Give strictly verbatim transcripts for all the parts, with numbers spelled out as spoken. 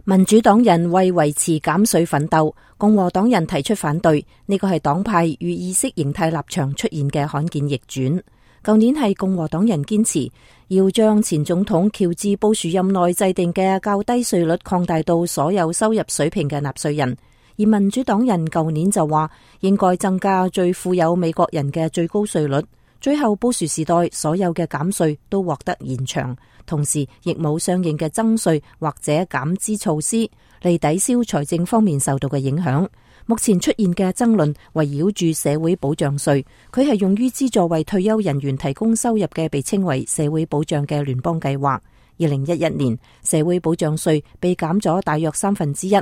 民主黨人為維持減稅奮鬥，共和黨人提出反對，呢個係黨派與意識形態立場出現嘅罕見逆轉。舊年係共和黨人堅持要將前總統喬治布殊任內制定嘅較低稅率擴大到所有收入水平嘅納稅人，而民主黨人舊年就話應該增加最富有美國人嘅最高稅率。最後布殊時代所有嘅減稅都獲得延長，同時亦冇相應嘅增稅或者減資措施嚟抵消財政方面受到嘅影響。目前出現嘅爭論圍繞住社會保障稅，佢係用於資助為退休人員提供收入嘅被稱為社會保障嘅聯邦計劃。二零一一年社會保障稅被減咗大約三分之一，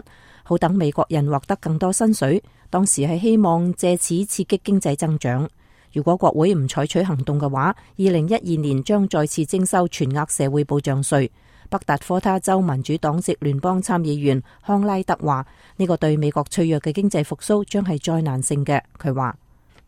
好等美國人獲得更多薪水，當時係希望借此刺激經濟增長。如果國會唔採取行動嘅話，二零一二年將再次徵收全額社會保障稅。北達科他州民主黨籍聯邦參議員康拉德話：呢個對美國脆弱嘅經濟復甦將係災難性嘅。佢話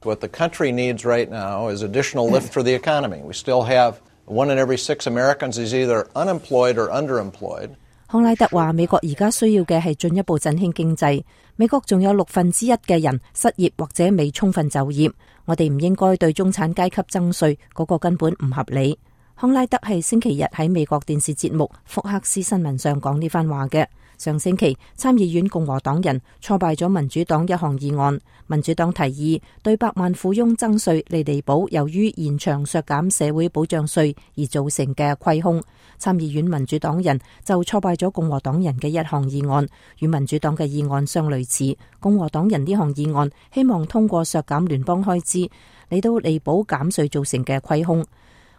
：What the country needs right now is additional lift for the economy. We still have one in every six Americans is either unemployed or underemployed. 康拉德話：美國而家需要嘅係進一步振興經濟。美國仲有六分之一嘅人失業或者未充分就業。我哋唔應該對中產階級徵稅，嗰個根本唔合理。康拉德係星期日喺美國電視節目福克斯新聞上講呢番話嘅。上星期參議院共和黨人挫敗咗民主黨一項議案，民主黨提議對百萬富翁徵稅嚟彌補由於延長削減社會保障稅而造成嘅虧空。參議院民主黨人就挫敗咗共和黨人嘅一項議案，與民主黨嘅議案相類似。共和黨人呢項議案希望通過削減聯邦開支嚟到彌補減稅造成嘅虧空。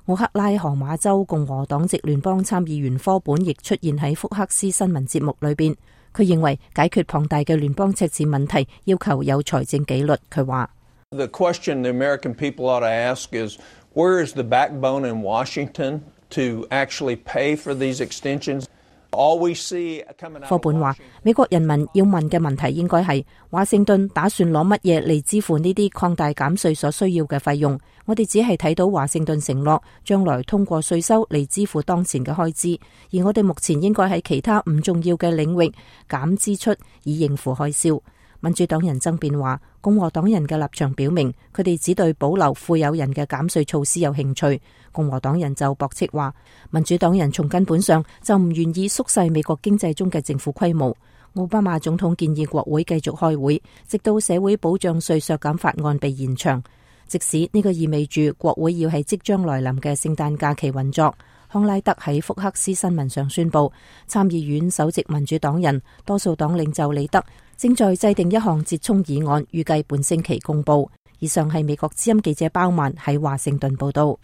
奧克拉荷馬州共和黨籍聯邦參議員科本亦出現喺福克斯新聞節目裏邊，佢認為解決龐大嘅聯邦赤字問題要求有財政紀律。佢話：The question the American people ought to ask is, where is the backbone in Washington to actually pay for these extensions? 科本話：美國人民要問嘅問題應該係華盛頓打算攞乜嘢嚟支付呢啲擴大減稅所需要嘅費用？我哋只係睇到華盛頓承諾將來通過稅收嚟支付當前嘅開支，而我哋目前應該喺其他唔重要嘅領域減支出以應付開銷。民主黨人爭辯話，共和黨人嘅立場表明，佢哋只對保留富有人嘅減稅措施有興趣。共和黨人就駁斥話，民主黨人從根本上就唔願意縮細美國經濟中嘅政府規模。奧巴馬總統建議國會繼續開會，直到社會保障稅削減法案被延長，即使呢個意味住國會要喺即將來臨嘅聖誕假期運作。康拉德喺福克斯新聞上宣布，參議院首席民主黨人多數黨領袖李德正在制定一項折衷議案，預計本星期公布。以上係美國之音記者包曼喺華盛頓報道。